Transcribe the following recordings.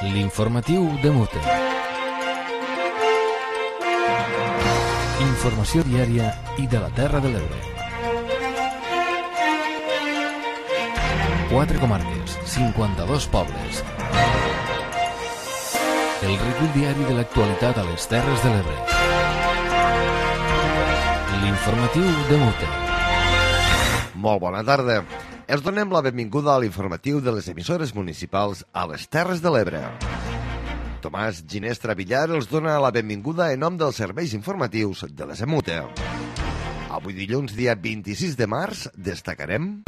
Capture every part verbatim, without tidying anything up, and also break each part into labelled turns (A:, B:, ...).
A: L'informatiu de Mute. Informació diària i de la Terra de l'Ebre. Quatre comarques, cinquanta-dos pobles. El recull diari de l'actualitat a les Terres de l'Ebre. L'informatiu de Mute.
B: Molt bona tarda. Els donem la benvinguda a l'informatiu de les emissores municipals a les Terres de l'Ebre. Tomàs Ginestra Villar els dona la benvinguda en nom dels serveis informatius de les EMUTE. Avui dilluns, dia vint-i-sis de març, destacarem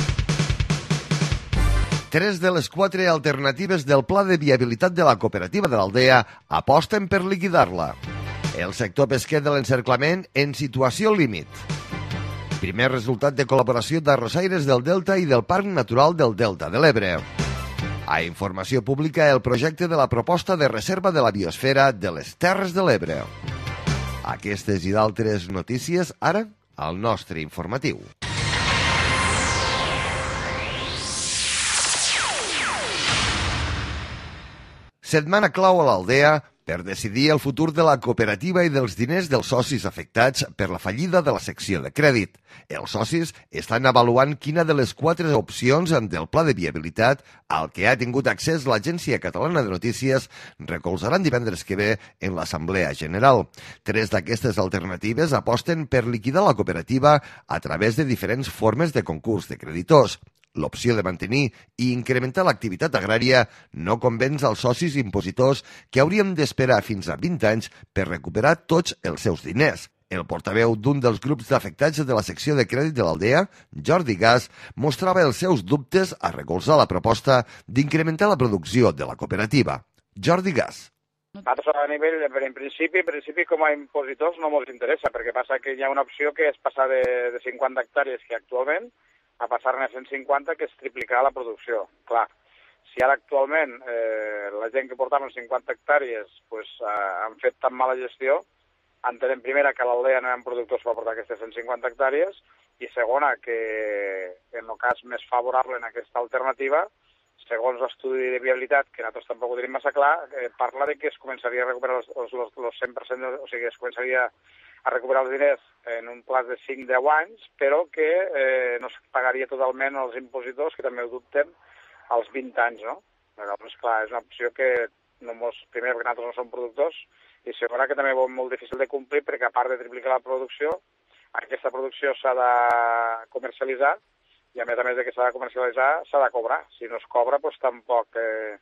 B: tres de les quatre alternatives del pla de viabilitat de la cooperativa de l'Aldea aposten per liquidar-la. El sector pesquer de l'encerclament en situació límit. Primer resultat de col·laboració d'arrossaires del Delta i del Parc Natural del Delta de l'Ebre. A informació pública, el projecte de la proposta de reserva de la biosfera de les Terres de l'Ebre. Aquestes i d'altres notícies, ara, al nostre informatiu. Setmana clau a l'Aldea per decidir el futur de la cooperativa i dels diners dels socis afectats per la fallida de la secció de crèdit. Els socis estan avaluant quina de les quatre opcions del pla de viabilitat al que ha tingut accés l'Agència Catalana de Notícies recolzaran divendres que ve en l'Assemblea General. Tres d'aquestes alternatives aposten per liquidar la cooperativa a través de diferents formes de concurs de creditors. L'opció de mantenir i incrementar l'activitat agrària no convenç als socis impositors que haurien d'esperar fins a vint anys per recuperar tots els seus diners. El portaveu d'un dels grups d'afectats de la secció de crèdit de l'Aldea, Jordi Gas, mostrava els seus dubtes a recolzar la proposta d'incrementar la producció de la cooperativa. Jordi Gas.
C: Nosaltres a nivell, en principi, en principi com a impositors no ens interessa, perquè passa que hi ha una opció que és passar de, de cinquanta hectàrees que actualment a passar-ne a cent cinquanta, que és triplicar la producció. Clar, si ara actualment eh, la gent que portaven cinquanta hectàrees pues, eh, han fet tan mala gestió, entenem primera que a l'Aldea no hi ha productors per portar aquestes cent cinquanta hectàrees i segona que en el cas més favorable en aquesta alternativa, segons l'estudi de viabilitat, que nosaltres tampoc ho tenim massa clar, eh, parla de que es començaria a recuperar els, els, els cent per cent, o sigui, es començaria a recuperar els diners en un plaç de cinc a deu anys, però que eh, no es pagaria totalment als impositors, que també ho dubtem, als vint anys, no? Llavors, clar, és una opció que no mos, primer perquè nosaltres no som productors, i segona que també és molt difícil de complir, perquè a part de triplicar la producció, aquesta producció s'ha de comercialitzar, i a més a més de que s'ha de comercialitzar, s'ha de cobrar. Si no es cobra, doncs tampoc eh,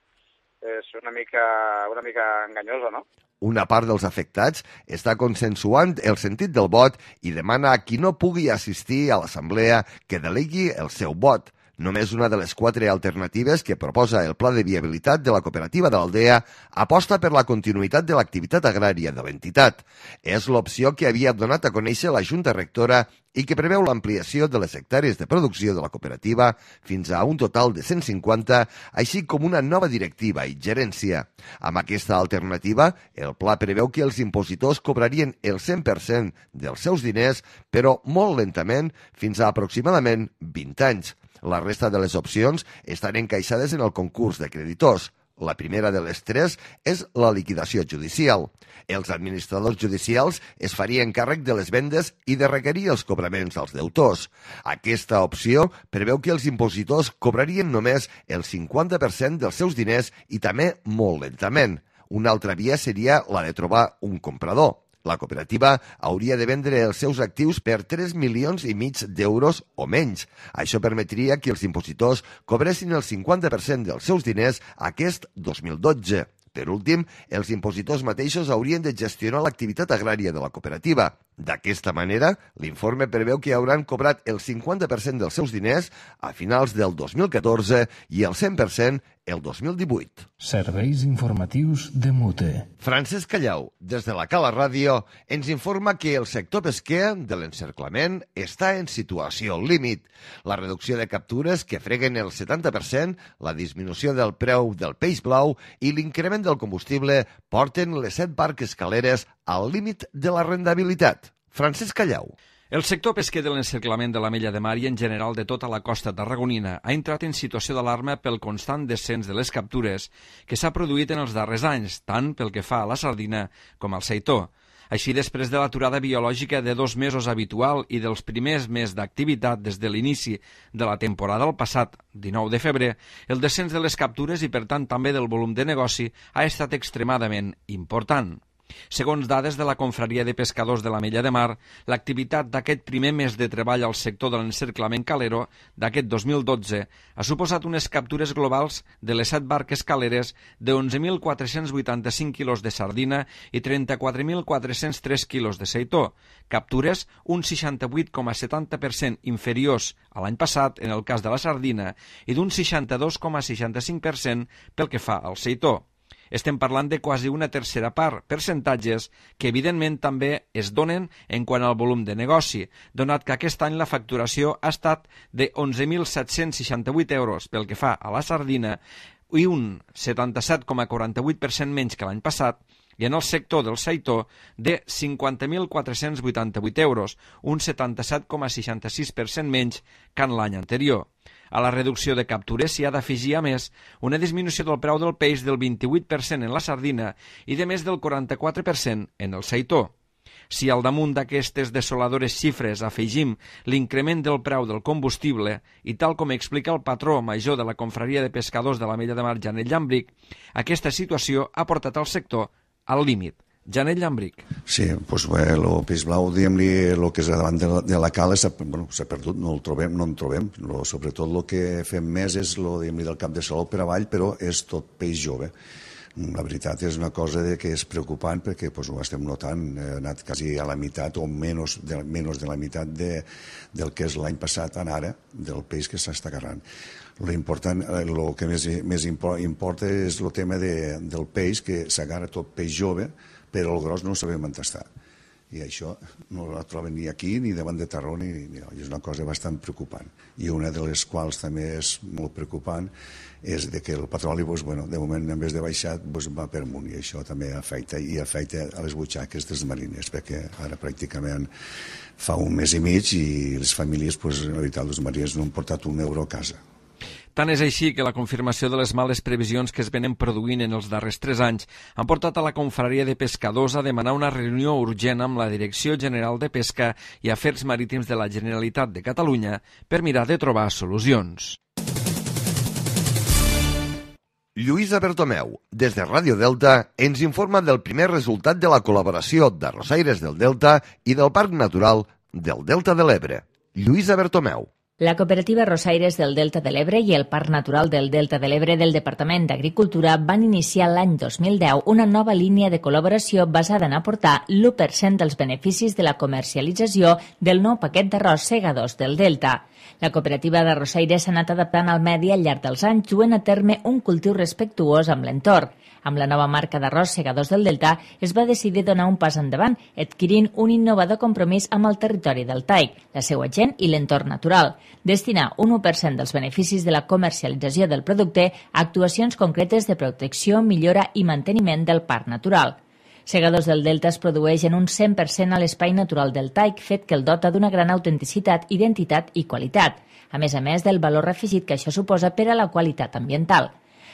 C: és una mica, una mica enganyosa, no?
B: Una part dels afectats està consensuant el sentit del vot i demana a qui no pugui assistir a l'assemblea que delegui el seu vot. Només una de les quatre alternatives que proposa el pla de viabilitat de la cooperativa de l'Aldea aposta per la continuïtat de l'activitat agrària de l'entitat. És l'opció que havia donat a conèixer la Junta Rectora i que preveu l'ampliació de les hectàrees de producció de la cooperativa fins a un total de cent cinquanta, així com una nova directiva i gerència. Amb aquesta alternativa, el pla preveu que els impositors cobrarien el cent per cent dels seus diners, però molt lentament, fins a aproximadament vint anys. La resta de les opcions estan encaixades en el concurs de creditors. La primera de les tres és la liquidació judicial. Els administradors judicials es farien càrrec de les vendes i de requerir els cobraments als deutors. Aquesta opció preveu que els impositors cobrarien només el cinquanta per cent dels seus diners i també molt lentament. Una altra via seria la de trobar un comprador. La cooperativa hauria de vendre els seus actius per tres milions i mig d'euros o menys. Això permetria que els impositors cobressin el cinquanta per cent dels seus diners aquest dos mil dotze. Per últim, els impositors mateixos haurien de gestionar l'activitat agrària de la cooperativa. D'aquesta manera, l'informe preveu que hauran cobrat el cinquanta per cent dels seus diners a finals del dos mil catorze i el cent per cent el dos mil divuit.
A: Serveis informatius de Mute.
B: Francesc Callau, des de la Cala Ràdio, ens informa que el sector pesquer de l'encerclament està en situació límit. La reducció de captures, que freguen el setanta per cent, la disminució del preu del peix blau i l'increment del combustible porten les set barques caleres al límit de la rendibilitat. Francesc Callau.
D: El sector pesquer de l'encerclament de l'Ametlla de Mar i en general de tota la costa tarragonina ha entrat en situació d'alarma pel constant descens de les captures que s'ha produït en els darrers anys, tant pel que fa a la sardina com al seitó. Així, després de l'aturada biològica de dos mesos habitual i dels primers mesos d'activitat des de l'inici de la temporada el passat dinou de febrer, el descens de les captures i, per tant, també del volum de negoci ha estat extremadament important. Segons dades de la Confraria de Pescadors de l'Ametlla de Mar, l'activitat d'aquest primer mes de treball al sector de l'encerclament calero d'aquest dos mil dotze ha suposat unes captures globals de les set barques caleres de onze mil quatre-cents vuitanta-cinc quilos de sardina i trenta-quatre mil quatre-cents tres quilos de seitó, captures un seixanta-vuit coma setanta per cent inferiors a l'any passat en el cas de la sardina i d'un seixanta-dos coma seixanta-cinc per cent pel que fa al seitó. Estem parlant de quasi una tercera part, percentatges que evidentment també es donen en quant al volum de negoci, donat que aquest any la facturació ha estat de onze mil set-cents seixanta-vuit euros pel que fa a la sardina i un setanta-set coma quaranta-vuit per cent menys que l'any passat, i en el sector del seitó de cinquanta mil quatre-cents vuitanta-vuit euros, un setanta-set coma seixanta-sis per cent menys que en l'any anterior. A la reducció de captures s'hi ha d'afegir, a més, una disminució del preu del peix del vint-i-vuit per cent en la sardina i de més del quaranta-quatre per cent en el seitó. Si al damunt d'aquestes desoladores xifres afegim l'increment del preu del combustible i tal com explica el patró major de la Confraria de Pescadors de l'Ametlla de Mar, Janet Llambric, aquesta situació ha portat el sector al límit. Janet Llambric.
E: Sí, doncs bé, el peix blau, diguem-li, el que és davant de la, de la cala s'ha bueno, perdut, no el trobem, no en trobem. Lo, sobretot el que fem més és lo, diguem-li, del cap de saló per avall, però és tot peix jove. La veritat és una cosa de que és preocupant perquè pues, ho estem notant, ha anat quasi a la meitat o menys de, menys de la meitat de, del que és l'any passat en ara, del peix que s'està agarrant. L'important, el que més, més importa és el tema de, del peix, que s'agarra tot peix jove, però el gros no ho sabem on està. I això no la troben ni aquí, ni davant de Tarragona, ni, ni, és una cosa bastant preocupant. I una de les quals també és molt preocupant és de que el petroli, doncs, bueno, de moment, en vez de baixar, doncs, va per amunt, i això també afecta, i afecta a les butxaques dels mariners, perquè ara pràcticament fa un mes i mig i les famílies, doncs, la veritat, els mariners no han portat un euro a casa.
D: Tant és així que la confirmació de les males previsions que es venen produint en els darrers tres anys han portat a la Confraria de Pescadors a demanar una reunió urgent amb la Direcció General de Pesca i Afers Marítims de la Generalitat de Catalunya per mirar de trobar solucions.
B: Lluïsa Bertomeu, des de Ràdio Delta, ens informa del primer resultat de la col·laboració d'Arrossaires del Delta i del Parc Natural del Delta de l'Ebre. Lluïsa Bertomeu.
F: La cooperativa Arrossaires del Delta de l'Ebre i el Parc Natural del Delta de l'Ebre del Departament d'Agricultura van iniciar l'any dos mil deu una nova línia de col·laboració basada en aportar l'u per cent dels beneficis de la comercialització del nou paquet d'arròs segadors del Delta. La cooperativa d'Arrossaires s'ha anat adaptant al medi al llarg dels anys, duent a terme un cultiu respectuós amb l'entorn. Amb la nova marca d'arròs segadors del Delta es va decidir donar un pas endavant, adquirint un innovador compromís amb el territori del Taig, la seva gent i l'entorn natural. Destinar un u per cent dels beneficis de la comercialització del producte a actuacions concretes de protecció, millora i manteniment del parc natural. Segadors del Delta es produeix en un cent per cent a l'espai natural del Taig, fet que el dota d'una gran autenticitat, identitat i qualitat, a més a més del valor afegit que això suposa per a la qualitat ambiental.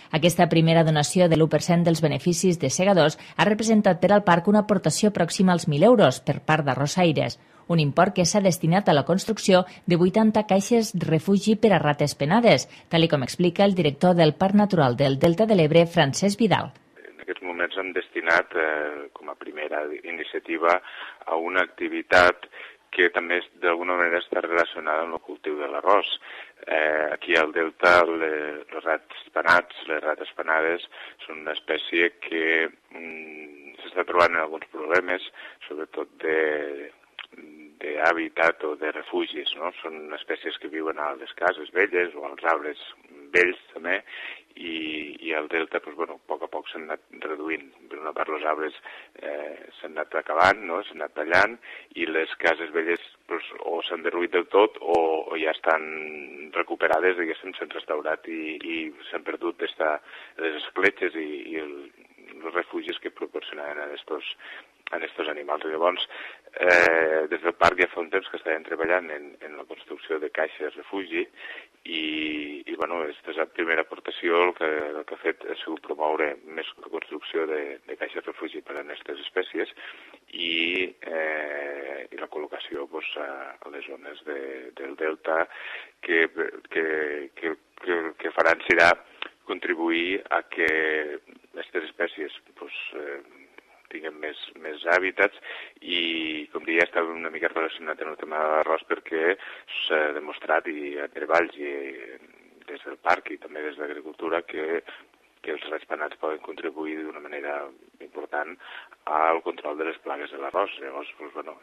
F: Aquesta primera donació de l'u per cent dels beneficis de segadors ha representat per al parc una aportació pròxima als mil euros per part d'Arrossaires, un import que s'ha destinat a la construcció de vuitanta caixes refugi per a rates penades, tal com explica el director del Parc Natural del Delta de l'Ebre, Francesc Vidal.
G: En aquests moments hem destinat, eh, com a primera iniciativa, a una activitat que també d'alguna manera està relacionada amb el cultiu de l'arròs. Eh, aquí al Delta les, els rats penats, les rates penades, són una espècie que mm, s'està trobant en alguns problemes, sobretot de d'hàbitat o de refugis, no? Són espècies que viuen a les cases velles o als arbres vells també, i, i al Delta, doncs, bueno, a poc a poc s'han anat reduint. Per una part, els arbres eh, s'han anat acabant, no? S'han anat tallant, i les cases velles doncs, o s'han derruït del tot o, o ja estan recuperades, diguéssim, s'han restaurat i, i s'han perdut esta, les escletxes i, i el, els refugis que proporcionaven a estos, en aquests animals. Llavors, eh, des del parc ja fa un temps que estàvem treballant en, en la construcció de caixes refugi i, i bueno, aquesta és la primera aportació. El que, el que ha fet ha sigut promoure més la construcció de, de caixes refugi per a aquestes espècies i, eh, i la col·locació pues, a, a les zones de, del delta que, que, que, que, que faran serà contribuir a que aquestes espècies pues, eh, tinguin més, més hàbitats i, com deia, està una mica relacionat amb el tema de l'arròs perquè s'ha demostrat i a treballs i des del parc i també des de l'agricultura que, que els ratpenats poden contribuir d'una manera important al control de les plagues de l'arròs. Llavors, pues, bueno,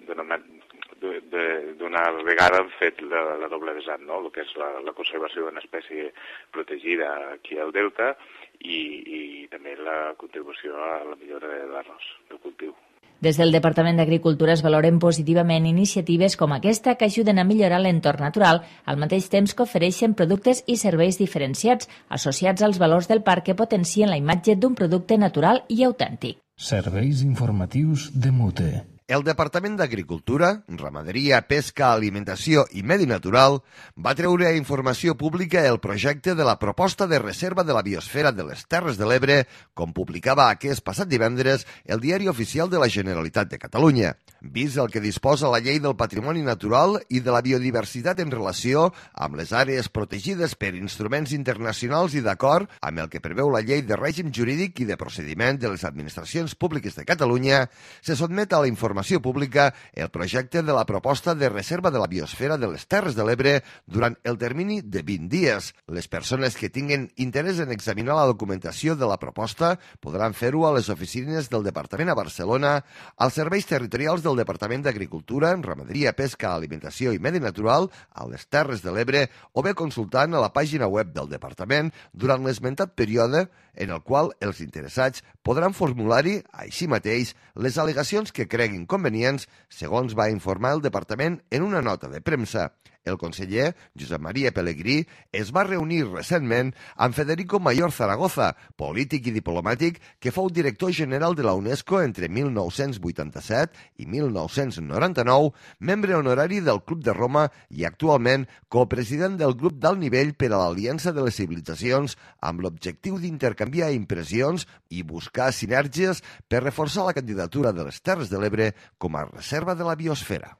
G: d'una vegada han fet la, la doble vessant, no? El que és la, la conservació d'una espècie protegida aquí al delta i, i també la contribució a la millora de l'arròs, del cultiu.
F: Des del Departament d'Agricultura es valoren positivament iniciatives com aquesta que ajuden a millorar l'entorn natural al mateix temps que ofereixen productes i serveis diferenciats associats als valors del parc que potencien la imatge d'un producte natural i autèntic.
A: Serveis informatius de Mute.
B: El Departament d'Agricultura, Ramaderia, Pesca, Alimentació i Medi Natural va treure a informació pública el projecte de la proposta de reserva de la biosfera de les Terres de l'Ebre, com publicava aquest passat divendres el Diari Oficial de la Generalitat de Catalunya. Vist el que disposa la Llei del Patrimoni Natural i de la Biodiversitat en relació amb les àrees protegides per instruments internacionals i d'acord amb el que preveu la Llei de Règim Jurídic i de Procediment de les Administracions Públiques de Catalunya, se sotmet a la informació informació pública el projecte de la proposta de reserva de la biosfera de les Terres de l'Ebre durant el termini de vint dies. Les persones que tinguen interès en examinar la documentació de la proposta podran fer-ho a les oficines del Departament a Barcelona, als serveis territorials del Departament d'Agricultura, Ramaderia, Pesca, Alimentació i Medi Natural a les Terres de l'Ebre o bé consultant a la pàgina web del Departament durant l'esmentat període en el qual els interessats podran formular-hi, així mateix, les al·legacions que creguin convenients, segons va informar el Departament en una nota de premsa. El conseller, Josep Maria Pelegrí, es va reunir recentment amb Federico Mayor Zaragoza, polític i diplomàtic que fou director general de la UNESCO entre mil nou-cents vuitanta-set i mil nou-cents noranta-nou, membre honorari del Club de Roma i actualment copresident del grup d'alt nivell per a l'Aliança de les Civilitzacions amb l'objectiu d'intercanviar impressions i buscar sinergies per reforçar la candidatura de les Terres de l'Ebre com a reserva de la biosfera.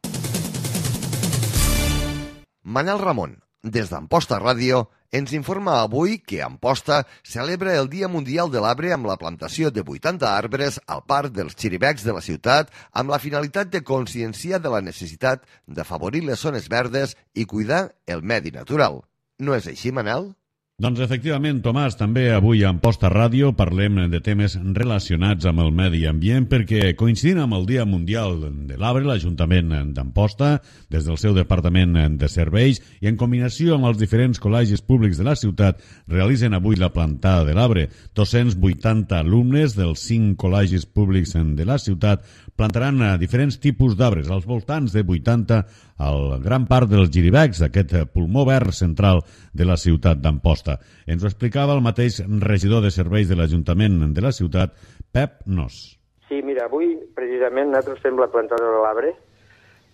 B: Manel Ramon, des d'Amposta Ràdio, ens informa avui que Amposta celebra el Dia Mundial de l'Arbre amb la plantació de vuitanta arbres al Parc dels Xiribecs de la ciutat amb la finalitat de conscienciar de la necessitat d'afavorir les zones verdes i cuidar el medi natural. No és així, Manel?
H: Doncs efectivament, Tomàs, també avui a Amposta Ràdio parlem de temes relacionats amb el medi ambient perquè coincidint amb el Dia Mundial de l'Arbre, l'Ajuntament d'Amposta, des del seu Departament de Serveis i en combinació amb els diferents col·legis públics de la ciutat, realitzen avui la plantada de l'arbre. dos-cents vuitanta alumnes dels cinc col·legis públics de la ciutat plantaran diferents tipus d'arbres, als voltants de vuitanta al gran part dels Xiribecs, aquest pulmó verd central de la ciutat d'Amposta. Ens ho explicava el mateix regidor de serveis de l'Ajuntament de la ciutat, Pep Nos.
I: Sí, mira, avui precisament nosaltres fem la plantada de l'arbre,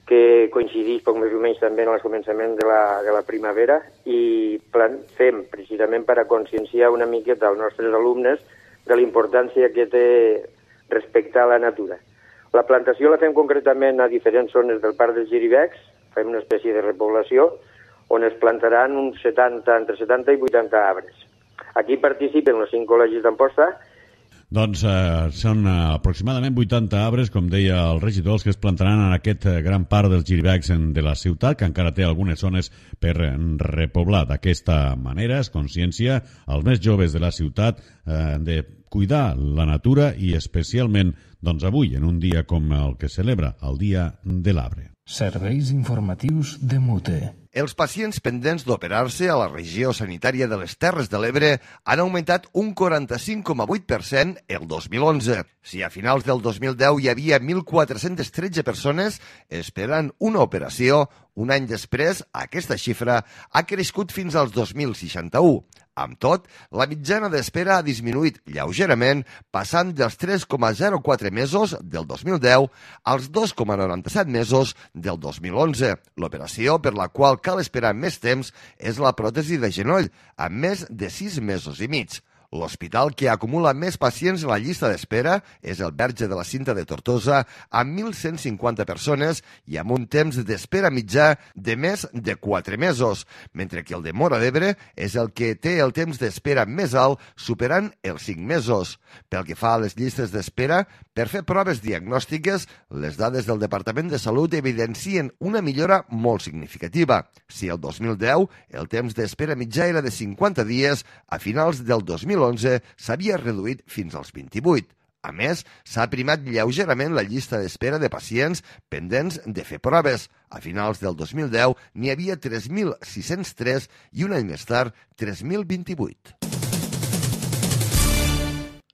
I: que coincideix poc més o menys també en el començament de la, de la primavera, i plan, fem precisament per a conscienciar una miqueta als nostres alumnes de la importància que té respectar la natura. La plantació la fem concretament a diferents zones del Parc dels Xiribecs, fem una espècie de repoblació, on es plantaran uns setanta, entre setanta i vuitanta arbres. Aquí participen els cinc col·legis d'Amposta.
H: Doncs eh, són aproximadament vuitanta arbres, com deia el regidor, els que es plantaran en aquest gran parc dels Xiribecs de la ciutat, que encara té algunes zones per repoblar. D'aquesta manera es consciencia als més joves de la ciutat eh, de cuidar la natura i especialment doncs, avui, en un dia com el que celebra el Dia de l'Arbre.
A: Serveis informatius de Mute.
B: Els pacients pendents d'operar-se a la regió sanitària de les Terres de l'Ebre han augmentat un quaranta-cinc coma vuit per cent el dos mil onze. Si a finals del dos mil deu hi havia mil quatre-cents tretze persones esperant una operació, un any després aquesta xifra ha crescut fins als dos mil seixanta-u. Amb tot, la mitjana d'espera ha disminuït lleugerament, passant dels tres coma zero quatre mesos del dos mil deu als dos coma noranta-set mesos del dos mil onze. L'operació per la qual cal esperar més temps és la pròtesi de genoll, amb més de sis mesos i mig. L'hospital que acumula més pacients en la llista d'espera és el Verge de la Cinta de Tortosa, amb mil cent cinquanta persones i amb un temps d'espera mitjà de més de quatre mesos, mentre que el de Móra d'Ebre és el que té el temps d'espera més alt, superant els cinc mesos. Pel que fa a les llistes d'espera, per fer proves diagnòstiques, les dades del Departament de Salut evidencien una millora molt significativa. Si el dos mil deu el temps d'espera mitjà era de cinquanta dies, a finals del dos mil onze s'havia reduït fins als vint-i-vuit. A més, s'ha primat lleugerament la llista d'espera de pacients pendents de fer proves. A finals del dos mil deu n'hi havia tres mil sis-cents tres i un any més tard tres mil vint-i-vuit.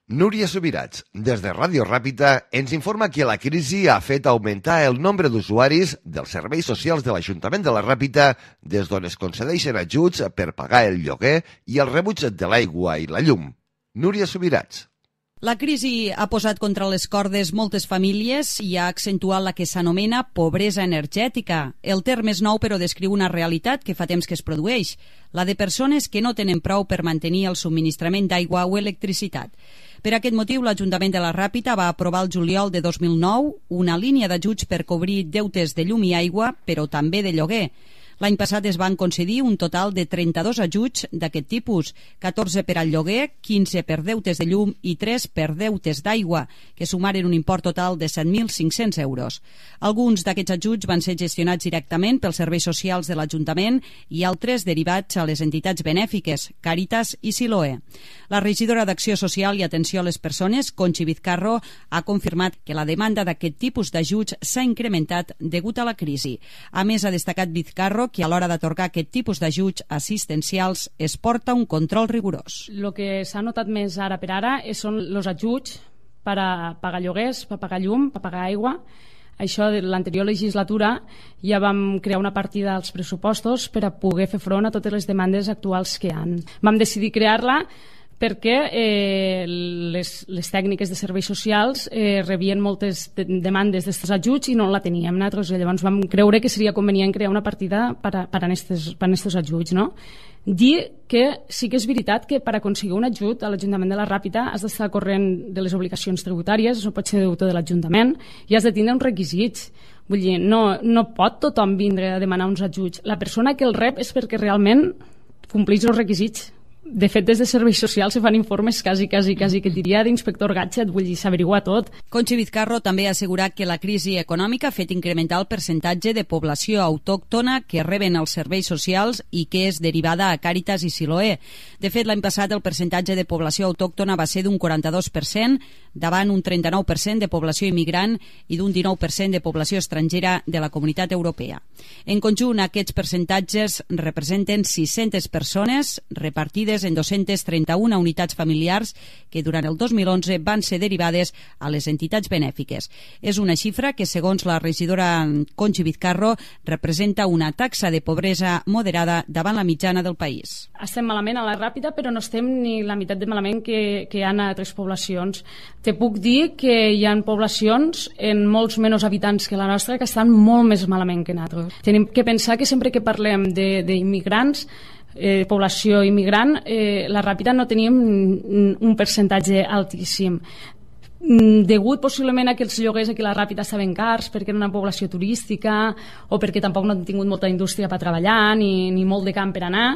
B: Núria Subirats, des de Ràdio Ràpita, ens informa que la crisi ha fet augmentar el nombre d'usuaris dels serveis socials de l'Ajuntament de la Ràpita, des d'on es concedeixen ajuts per pagar el lloguer i el rebuig de l'aigua i la llum. Núria Subirats.
J: La crisi ha posat contra les cordes moltes famílies i ha accentuat la que s'anomena pobresa energètica. El terme és nou, però descriu una realitat que fa temps que es produeix, la de persones que no tenen prou per mantenir el subministrament d'aigua o electricitat. Per aquest motiu, l'Ajuntament de la Ràpita va aprovar el juliol de dos mil nou una línia d'ajuts per cobrir deutes de llum i aigua, però també de lloguer. L'any passat es van concedir un total de trenta-dos ajuts d'aquest tipus, catorze per al lloguer, quinze per deutes de llum i tres per deutes d'aigua, que sumaren un import total de set mil cinc-cents euros. Alguns d'aquests ajuts van ser gestionats directament pels serveis socials de l'Ajuntament i altres derivats a les entitats benèfiques, Càritas i Siloé. La regidora d'Acció Social i Atenció a les Persones, Conchi Vizcarro, ha confirmat que la demanda d'aquest tipus d'ajuts s'ha incrementat degut a la crisi. A més, ha destacat Vizcarro que a l'hora d'atorgar aquest tipus d'ajuts assistencials es porta un control rigorós.
K: El que s'ha notat més ara per ara són els ajuts per a pagar lloguers, per a pagar llum, per a pagar aigua. Això de l'anterior legislatura ja vam crear una partida als pressupostos per a poder fer front a totes les demandes actuals que hi ha. Vam decidir crear-la perquè eh, les, les tècniques de serveis socials eh, rebien moltes de demandes d'aquests ajuts i no la teníem nosaltres. Llavors vam creure que seria convenient crear una partida per a, per a aquests ajuts. No? Dir que sí que és veritat que per aconseguir un ajut a l'Ajuntament de la Ràpita has d'estar al corrent de les obligacions tributàries, això pot ser deutor de l'Ajuntament, i has de tindre uns requisits. Vull dir, no, no pot tothom vindre a demanar uns ajuts. La persona que el rep és perquè realment compleix els requisits. De fet, des de serveis socials se fan informes quasi, quasi, quasi, que diria d'inspector Gadget, vull dir, s'averigua tot.
J: Conchi Vizcarro també ha assegurat que la crisi econòmica ha fet incrementar el percentatge de població autòctona que reben els serveis socials i que és derivada a Càritas i Siloé. De fet, l'any passat el percentatge de població autòctona va ser d'un quaranta-dos per cent, davant un trenta-nou per cent de població immigrant i d'un dinou per cent de població estrangera de la Comunitat Europea. En conjunt, aquests percentatges representen sis-centes persones repartides en dos-centes trenta-una unitats familiars que durant el dos mil onze van ser derivades a les entitats benèfiques. És una xifra que, segons la regidora Conchi Vizcarro, representa una taxa de pobresa moderada davant la mitjana del país.
K: Estem malament a la Ràpita, però no estem ni la meitat de malament que, que hi ha a altres poblacions. Te puc dir que hi ha poblacions en molts menys habitants que la nostra que estan molt més malament que nosaltres. Tenim que pensar que sempre que parlem d'immigrants, Eh, població immigrant, eh, la Ràpita no teníem un percentatge altíssim. Degut possiblement a que els lloguers aquí a la Ràpita estaven cars perquè era una població turística o perquè tampoc no han tingut molta indústria per treballar ni, ni molt de camp per anar,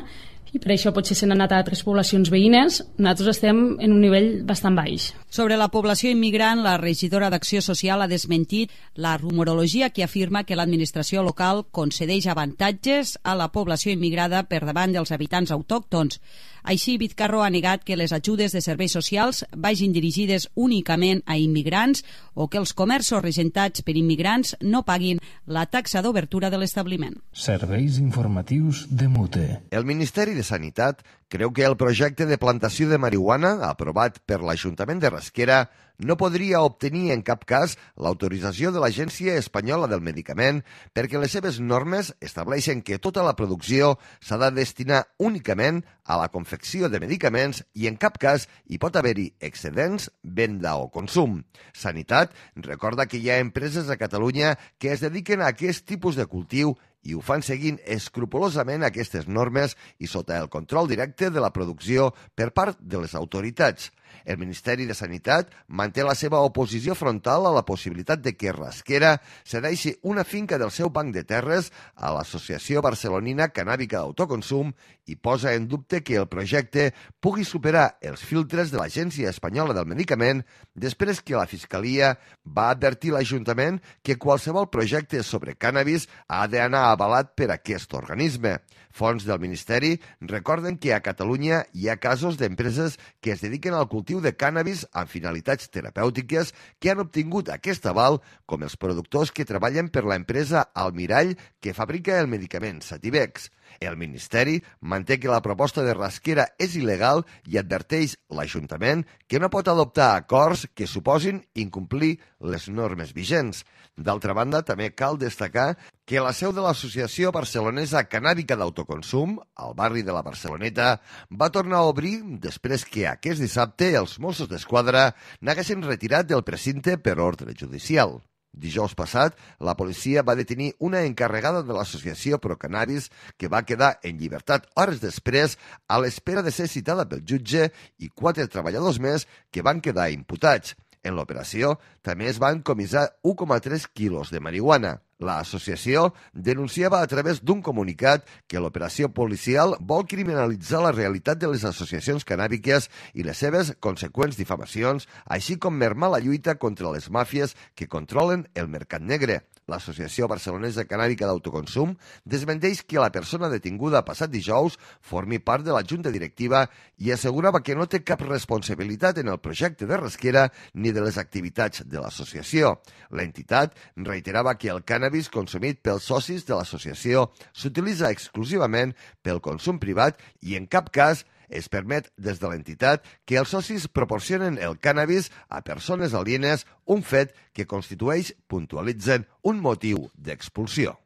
K: i per això potser s'han anat a altres poblacions veïnes. Nosaltres estem en un nivell bastant baix.
J: Sobre la població immigrant, la regidora d'Acció Social ha desmentit la rumorologia que afirma que l'administració local concedeix avantatges a la població immigrada per davant dels habitants autòctons. Així, Vizcarro ha negat que les ajudes de serveis socials vagin dirigides únicament a immigrants o que els comerços regentats per immigrants no paguin la taxa d'obertura de l'establiment.
A: Serveis informatius de Mute.
B: El Ministeri de Sanitat creu que el projecte de plantació de marihuana aprovat per l'Ajuntament de Rasquera no podria obtenir en cap cas l'autorització de l'Agència Espanyola del Medicament perquè les seves normes estableixen que tota la producció s'ha de destinar únicament a la confecció de medicaments i en cap cas hi pot haver-hi excedents, venda o consum. Sanitat recorda que hi ha empreses a Catalunya que es dediquen a aquest tipus de cultiu i ho fan seguint escrupolosament aquestes normes i sota el control directe de la producció per part de les autoritats. El Ministeri de Sanitat manté la seva oposició frontal a la possibilitat de que Rasquera cedeixi una finca del seu banc de terres a l'Associació Barcelonina Cannàbica d'Autoconsum i posa en dubte que el projecte pugui superar els filtres de l'Agència Espanyola del Medicament després que la Fiscalia va advertir l'Ajuntament que qualsevol projecte sobre cànnabis ha d'anar avalat per aquest organisme. Fonts del Ministeri recorden que a Catalunya hi ha casos d'empreses que es dediquen al cultiu de cànnabis amb finalitats terapèutiques que han obtingut aquest aval, com els productors que treballen per l'empresa Almirall que fabrica el medicament Sativex. El Ministeri manté que la proposta de Rasquera és il·legal i adverteix l'Ajuntament que no pot adoptar acords que suposin incomplir les normes vigents. D'altra banda, també cal destacar que la seu de l'Associació Barcelonesa Cannàbica d'Autoconsum, al barri de la Barceloneta, va tornar a obrir després que aquest dissabte els Mossos d'Esquadra n'haguessin retirat del precinte per ordre judicial. Dijous passat, la policia va detenir una encarregada de l'associació Procannabis que va quedar en llibertat hores després a l'espera de ser citada pel jutge i quatre treballadors més que van quedar imputats. En l'operació també es van comissar u coma tres quilos de marihuana. L'associació denunciava a través d'un comunicat que l'operació policial vol criminalitzar la realitat de les associacions cannàbiques i les seves conseqüents difamacions, així com mermar la lluita contra les màfies que controlen el mercat negre. L'Associació Barcelonesa Cannàbica d'Autoconsum desmenteix que la persona detinguda passat dijous formi part de la junta directiva i assegurava que no té cap responsabilitat en el projecte de Rasquera ni de les activitats de l'associació. L'entitat reiterava que el cànnabis consumit pels socis de l'associació s'utilitza exclusivament pel consum privat i en cap cas es permet des de l'entitat que els socis proporcionen el cànnabis a persones alienes, un fet que constitueix, puntualitzen, un motiu d'expulsió.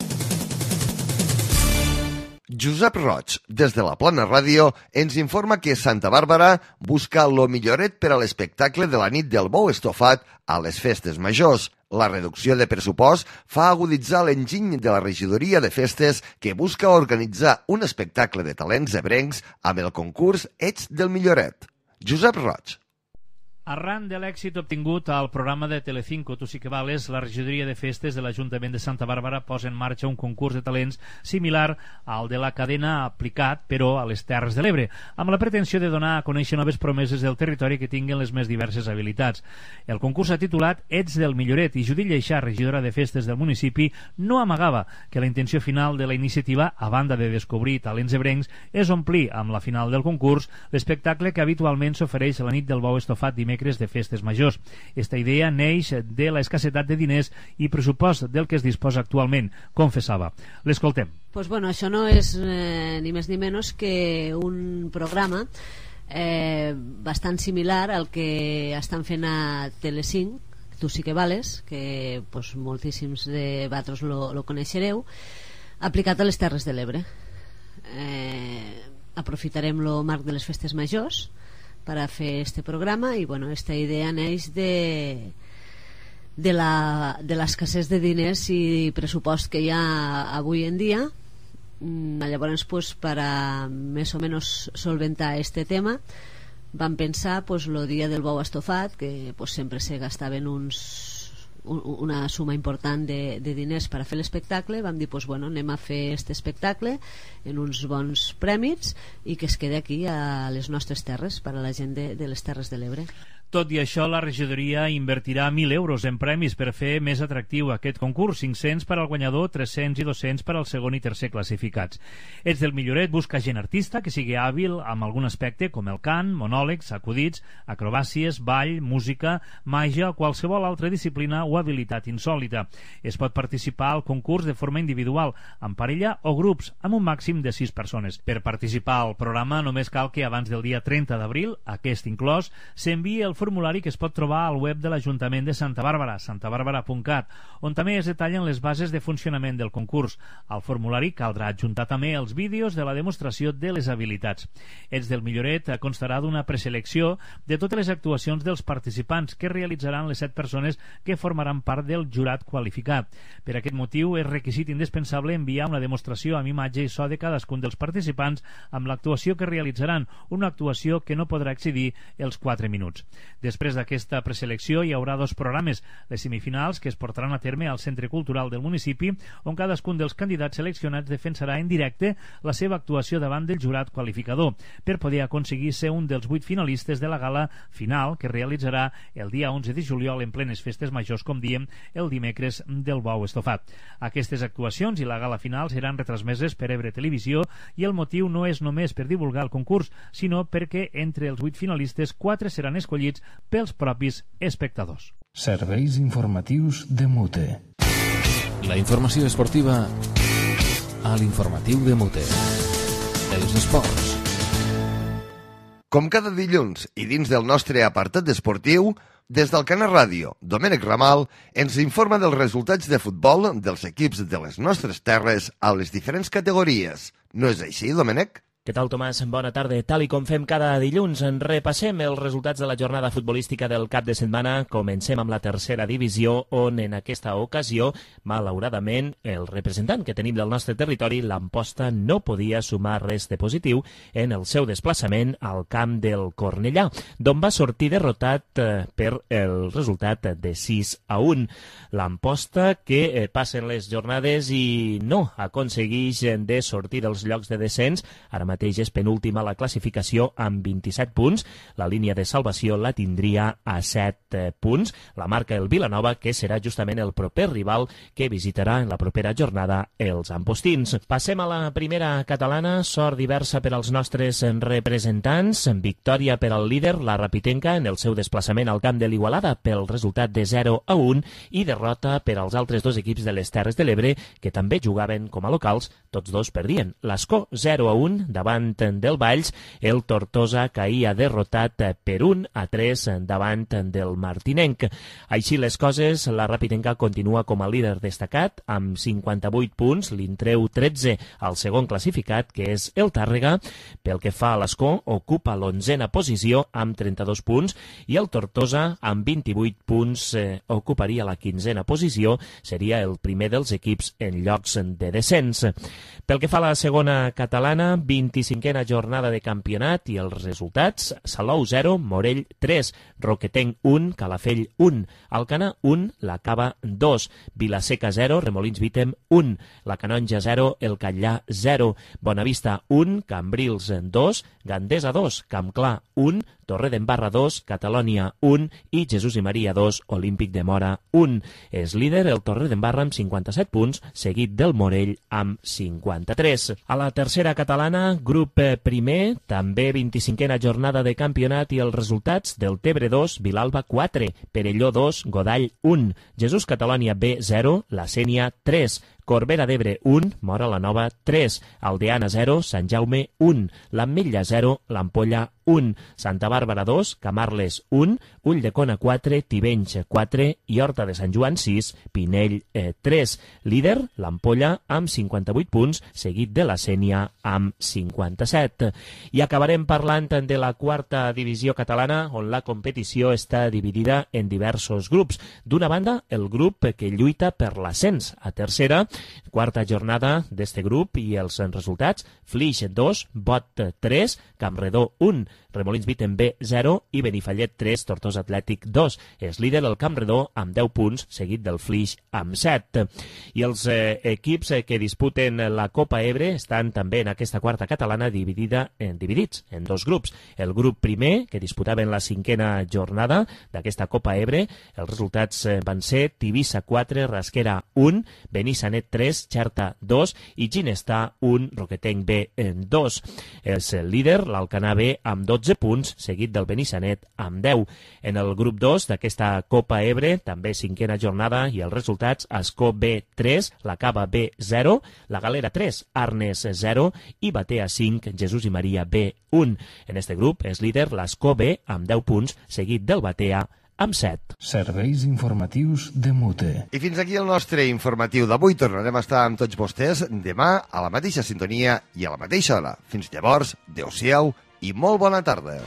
B: Josep Roig, des de la Plana Ràdio, ens informa que Santa Bàrbara busca lo milloret per a l'espectacle de la nit del bou estofat a les festes majors. La reducció de pressupost fa aguditzar l'enginy de la regidoria de festes que busca organitzar un espectacle de talents ebrencs amb el concurs Ets del Milloret. Josep Roig.
L: Arran de l'èxit obtingut al programa de Telecinco Tu sí que vales, la regidoria de festes de l'Ajuntament de Santa Bàrbara posa en marxa un concurs de talents similar al de la cadena Aplicat, però a les Terres de l'Ebre, amb la pretensió de donar a conèixer noves promeses del territori que tinguen les més diverses habilitats. El concurs s'ha titulat Ets del Milloret i Judit Lleixà, regidora de festes del municipi, no amagava que la intenció final de la iniciativa, a banda de descobrir talents ebrencs, és omplir amb la final del concurs l'espectacle que habitualment s'ofereix a la nit del bou estofat dimecres de festes majors. Esta idea neix de la escassetat de diners i pressupost del que es disposa actualment, confessava. L'escoltem.
M: Pues bueno, això no és eh, ni més ni menys que un programa eh, bastant similar al que estan fent a Telecinc, Tu sí que vales, que pues, moltíssims de vosaltres lo, lo coneixereu, aplicat a les Terres de l'Ebre. Eh, aprofitarem el marc de les festes majors per a fer este programa i bueno, esta idea neix de de la de l'escassez de diners i pressupost que hi ha avui en dia. Llavors pues, per a més o menys solventar este tema vam pensar pues, el dia del bou estofat que pues, sempre se gastaven uns una suma important de, de diners per a fer l'espectacle. Vam dir, pues, bueno, anem a fer aquest espectacle en uns bons prèmits i que es quede aquí a les nostres terres, per a la gent de, de les Terres de l'Ebre.
L: Tot i això, la regidoria invertirà mil euros en premis per fer més atractiu aquest concurs, cinc-cents per al guanyador, tres-cents i dos-cents per al segon i tercer classificats. Ets del Milloret busca gent artista que sigui hàbil amb algun aspecte com el cant, monòlegs, acudits, acrobàcies, ball, música, màgia o qualsevol altra disciplina o habilitat insòlita. Es pot participar al concurs de forma individual, en parella o grups, amb un màxim de sis persones. Per participar al programa només cal que abans del dia trenta d'abril, aquest inclòs, s'enviï el formulari que es pot trobar al web de l'Ajuntament de Santa Bàrbara, santa bàrbara punt cat, on també es detallen les bases de funcionament del concurs. Al formulari caldrà adjuntar també els vídeos de la demostració de les habilitats. Ets del Milloret constarà d'una preselecció de totes les actuacions dels participants que realitzaran les set persones que formaran part del jurat qualificat. Per aquest motiu és requisit indispensable enviar una demostració amb imatge i so de cadascun dels participants amb l'actuació que realitzaran, una actuació que no podrà excedir els quatre minuts. Després d'aquesta preselecció hi haurà dos programes, les semifinals que es portaran a terme al Centre Cultural del municipi, on cadascun dels candidats seleccionats defensarà en directe la seva actuació davant del jurat qualificador, per poder aconseguir ser un dels vuit finalistes de la gala final que realitzarà el dia onze de juliol en plenes festes majors, com diem, el dimecres del bou estofat. Aquestes actuacions i la gala final seran retransmeses per Ebre Televisió i el motiu no és només per divulgar el concurs, sinó perquè entre els vuit finalistes quatre seran escollits pels propis espectadors.
A: Serveis informatius de Mute.
N: La informació esportiva a l'informatiu de Mute. Els esports.
B: Com cada dilluns i dins del nostre apartat esportiu, des del Canal Ràdio, Domènec Ramal ens informa dels resultats de futbol dels equips de les nostres terres a les diferents categories. No és així, Domènec?
O: Què tal, Tomàs? Bona tarda. Tal i com fem cada dilluns, en repassem els resultats de la jornada futbolística del cap de setmana. Comencem amb la tercera divisió, on en aquesta ocasió, malauradament, el representant que tenim del nostre territori, l'Amposta, no podia sumar res de positiu en el seu desplaçament al camp del Cornellà, d'on va sortir derrotat eh, per el resultat de sis a un. L'Amposta, que eh, passen les jornades i no aconsegueix de sortir dels llocs de descens, ara mateix mateix és penúltima la classificació amb vint-i-set punts. La línia de salvació la tindria a set punts. La marca el Vilanova, que serà justament el proper rival que visitarà en la propera jornada els ampostins. Passem a la primera catalana. Sort diversa per als nostres representants. Victòria per al líder, la Rapitenca, en el seu desplaçament al camp de l'Igualada pel resultat de zero a un i derrota per als altres dos equips de les Terres de l'Ebre, que també jugaven com a locals. Tots dos perdien. L'Escó zero a un davant del Valls, el Tortosa caïa derrotat per un a tres davant del Martinenc. Així les coses, la Rapitenca continua com a líder destacat amb cinquanta-vuit punts, li'n treu tretze al segon classificat, que és el Tàrrega. Pel que fa a l'Escó, ocupa l'onzena posició amb trenta-dos punts i el Tortosa amb vint-i-vuit punts eh, ocuparia la quinzena posició, seria el primer dels equips en llocs de descens. Pel que fa a la segona catalana, vint-i-cinquena jornada de campionat i els resultats: Salou zero, Morell tres, Roquetenc un, Calafell un, Alcanar un, La Cava dos, Vilaseca zero, Remolins Vítem un, La Canonja zero, El Catllà zero, Bonavista un, Cambrils dos, Gandesa dos, Campclar un, Torredembarra dos, Catalònia un i Jesús i Maria dos, Olímpic de Mora un. És líder el Torredembarra amb cinquanta-set punts, seguit del Morell amb cinquanta-tres. A la tercera catalana, grup primer, també vint-i-cinquena jornada de campionat i els resultats: del Tebre dos, Vilalba quatre, Perelló dos, Godall un, Jesús Catalònia B zero, La Sénia tres, Corbera d'Ebre un, Mora la Nova tres, Aldeana zero, Sant Jaume un, l'Ametlla zero, l'Ampolla un, Santa Bàrbara dos, Camarles un, Ulldecona quatre, Tivenys quatre i Horta de Sant Joan sis, Pinell eh, tres. Líder, l'Ampolla amb cinquanta-vuit punts, seguit de la Sénia amb cinquanta-set. I acabarem parlant de la quarta divisió catalana, on la competició està dividida en diversos grups. D'una banda, el grup que lluita per l'ascens a tercera, quarta jornada d'este grup i els resultats: Flix dos, Bot tres, Campredó un, Remolins Vítem B zero i Benifallet tres, Tortosa Atlètic dos. És líder el Campredó amb deu punts, seguit del Flix amb set. I els eh, equips eh, que disputen la Copa Ebre estan també en aquesta quarta catalana dividida en, dividits en dos grups. El grup primer, que disputaven la cinquena jornada d'aquesta Copa Ebre, els resultats eh, van ser Tivissa quatre, Rasquera un, Benissanet tres, Xerta dos i Ginestar un, Roquetenc B dos. És el líder l'Alcanar B amb dotze punts, seguit del Benissanet amb deu. En el grup dos d'aquesta Copa Ebre, també cinquena jornada i els resultats: Ascó B tres, la Cava B zero, la Galera tres, Arnes zero i Batea cinc, Jesús i Maria B un. En este grup és líder l'Ascó B amb deu punts, seguit del Batea amb set.
A: Serveis informatius de Mute.
B: I fins aquí el nostre informatiu d'avui. Tornarem a estar amb tots vostès demà a la mateixa sintonia i a la mateixa hora. Fins llavors, adeu-siau i molt bona tarda.